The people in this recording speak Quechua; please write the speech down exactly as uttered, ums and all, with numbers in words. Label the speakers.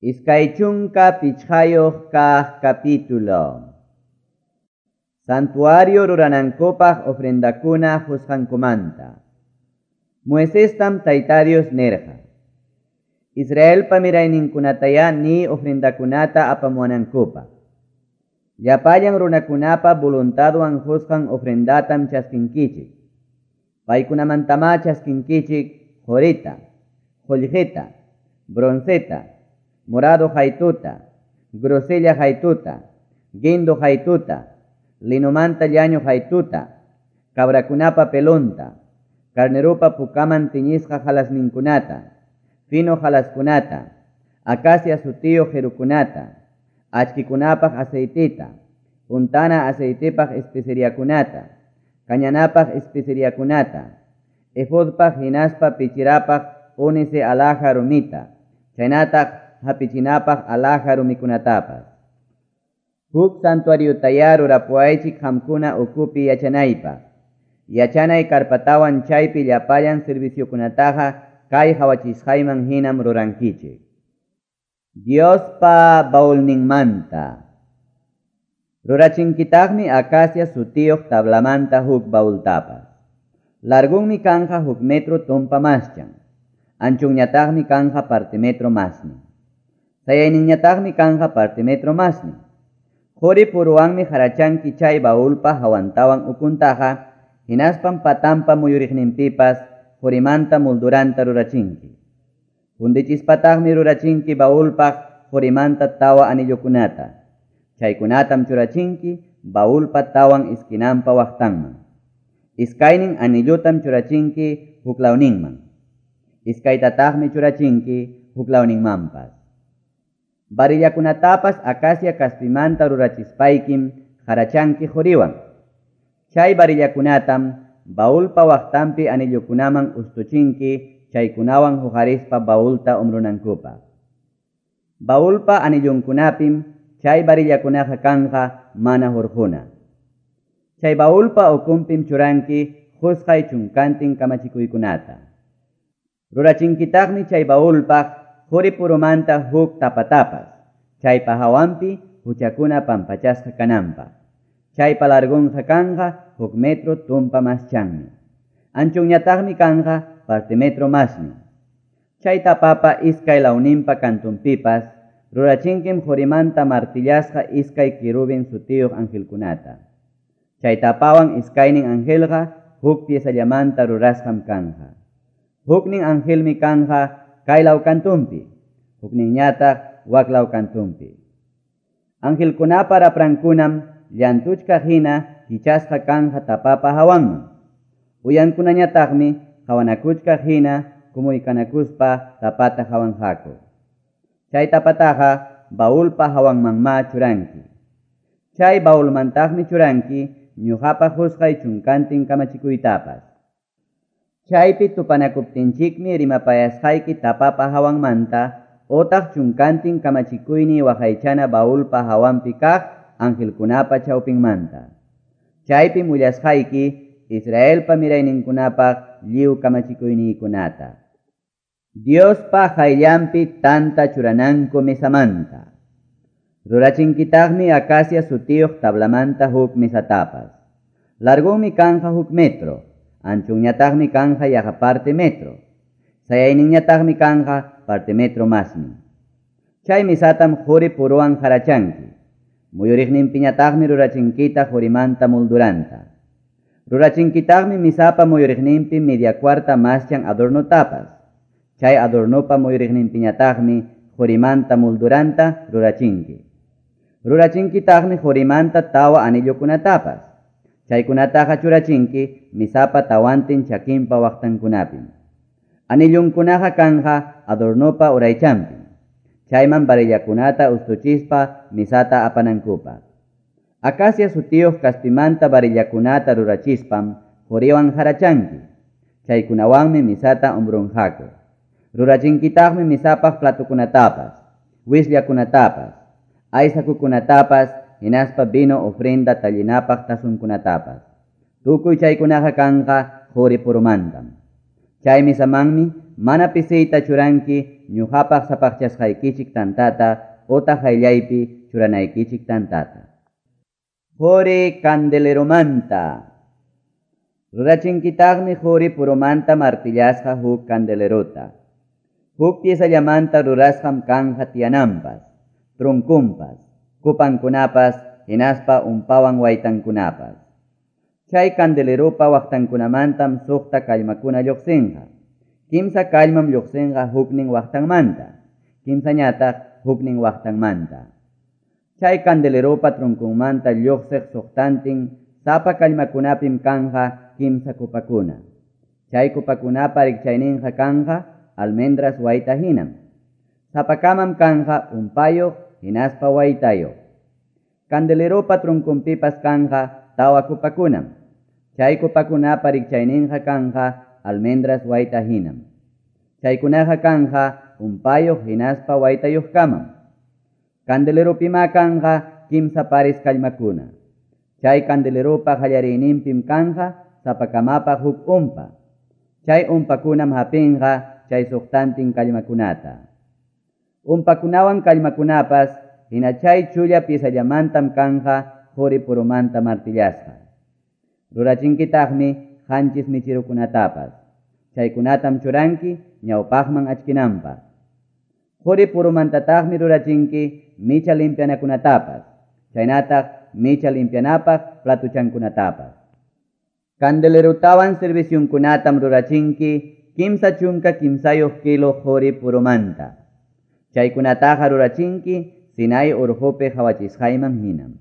Speaker 1: Iskay chunka pichqayuq kaq capítulo. Santuario ruranankupaq ofrendakuna qusqankumanta. Moisestam Tayta Dios nirqa: Israelpa mirayninkunatayá ni ofrendakunata apamuwanankupaq. Llapallan runakunapa voluntadwan qusqan ofrendatam chaskinkichik. Paykunamantamá chaskinkichik qorita, qullqita, bronceta, morado haytuta, grosella haytuta, guindo haytuta, linomanta llañu haytuta, cabrakunapa pelonta, carnerupa pukaman tiñisqa halasninkunata, fino halaskunata, acacia sutiyuq qirukunata, achkikunapaq aceitita, untana aceitipaq especeriakunata, kañanapaq especeriakunata, efodpaq hinaspa pichirapaq ónice alhaja rumita, chaynataq hapichinapaq alhaja rumikunatapas. Huk santuariotayá rurapuwaychik qamkuna ukupi yachanaypaq. Yachanay karpatawan chaypi llapallan serviciokunataqa kay qawachisqayman hinam rurankichik. Diospa baulninmanta. Rurachinkitaqmi acacia sutiyuq tablamanta huk baultapas. Largunmi kanja huk metro tumpa maschan. Anchunñataqmi kanja parte metro masni. Sayayninñataqmi kanja parte metro masni. Quri puruwanmi harachanki chay baulpa hawantawan ukuntaqa, hinaspan patampa muyuriqninpipas qurimanta molduranta rurachinki. Fundichispataqmi rurachinki baulpaq qurimanta tawa anillokunata. Chaykunatam churachinki baulpa tawan esquinampa waqtanman. Iskaynin anillutam churachinki huklawninman. Iskaytataqmi churachinki huklawninmanpas. Varillakunatapas acacia kaspimanta rurachispaykim harachanki quriwan. Chay varillakunatam baulpa waqtanpi anillukunaman ustuchinki chaykunawan huqarispa baulta umrunankupaq. Baulpa anillunkunapim chay varillakunaqa kanja mana hurquna. Chay baulpa ukunpim churanki qusqay chunkantin kamachikuykunata. Rurachinkitaqmi chay baulpaq quri purumanta huk tapatapas, chaypa hawanpi huchakuna pampachasqa kananpaq. Chaypa largunqa kanja huk metro tumpa maschanmi. Anchunñataqmi kanja parte metro masni. Chay tapapa iskay lawninpa kantunpipas rurachinkim qurimanta martillasqa iskay querubin sutiyuq angelkunata. Chay tapawan iskaynin angelqa huk piesallamanta rurasqam kanja. Huknin angelmi kanja kaylaw kantunpi, hukninñataq waklaw kantunpi. Angelkunapa raprankunam llantuchkaq hina kichasqa kanja tapapa hawanman. Uyankunañataqmi qawanakuchkaq hina kumuykanakuspa tapata hawanqaku. Chay tapataqa baulpa hawanmanmá churanki. Chay baulmantaqmi churanki ñuqapa qusqay chunkantin kamachikuytapas. Chaypi tupanakuptinchikmi rimapayasqayki tapapa hawanmanta otaq chunkantin kamachikuyni waqaychana baulpa hawanpi kaq angelkunapa chawpinmanta. Chaypim willasqayki Israelpa mirayninkunapaq lliw kamachikuyniykunata. Diospa qayllanpi tanta churananku mesamanta. Rurachinkitaqmi acacia sutiyuq tablamanta huk mesatapas. Largunmi kanja huk metro, anchunñataqmi kanja yaqa parte metro. Sayayninñataqmi kanja parte metro masni. Chay mesatam quri puruwan harachanki. Muyuriqninpiñataqmi rurachinkita qurimanta molduranta. Rurachinkitaqmi misapa muyuriqninpi media cuarta maschan adornotapas. Chay adornopa muyuriqninpiñataqmi qurimanta molduranta rurachinki. Rurachinkitaqmi qurimanta tawa anillukunatapas. Chaykunataqa churachinki misapa tawantin chakinpa waqtankunapim. Anillunkunaqa kanja adornopa uraychanpi. Chayman varillakunata ustuchispa misata apanankupaq. Acacia sutiyuq kaspimanta varillakunata rurachispam quriwan harachanki. Chaykunawanmi misata umbrunqaku. Rurachinkitaqmi misapaq platukunatapas, wisllakunatapas, aysakukunatapas, hinaspa vino ofrenda tallinapaq tasunkunatapas. Tukuy chaykunaqa kanja quri purumantam. Chay misamanmi mana pisiyta churanki ñuqapaq sapaqchasqaykichik tantata otaq qayllaypi churanaykichik tantata. Qori candeleromanta. Rurachinkitaqmi qori puromanta martillasqa huk candelerota. Huk piezallamanta rurasqam kanja tiyananpas, trunkunpas, kupankunapas, hinaspa umpawan waytankunapas. Chay candeleropa waqtankunamantam suqta kallmakuna lluqsinqa. Kimsa kallmam lluqsinqa huknin waqtanmanta, kimsañataq huknin waqtanmanta. Chay candeleropa trunkunmanta lluqsiq suqtantin sapa kallmakunapim kanja kimsa kupakuna. Chay kupakunapa rikchayninqa kanja almendras wayta hinam. Sapakamam kanja umpayuq hinaspa waytayuq. Candeleropa trunkunpipas kanja tawa kupakunam. Chay kupakunapa rikchayninqa kanja almendras wayta hinam. Chaykunaqa kanja umpayuq hinaspa waytayuqkamam. Candeleropima kanja kimsa pares kallmakuna. Chay candeleropa qallariyninpim kanja sapakamapa huk umpa. Chay umpakunam hapinqa chay suqtantin kallmakunata. Umpakunawan kallmakunapas hina chay chulla piezallamantam kanja qori purumanta martillasqa. Rurachinkitaqmi qanchis michirukunatapas. Chaykunatam churanki ñawpaqman achkinanpaq. Qori purumantataqmi rurachinki micha limpianakunatapas, chaynataq micha limpianapaq platuchankunatapas. Candelerotawan servisyunkunatam rurachinki kimsa chunka kimsayuq kilo qori purumanta. Chaykunataqa rurachinki Sinai urqupi qhawachisqayman hinam.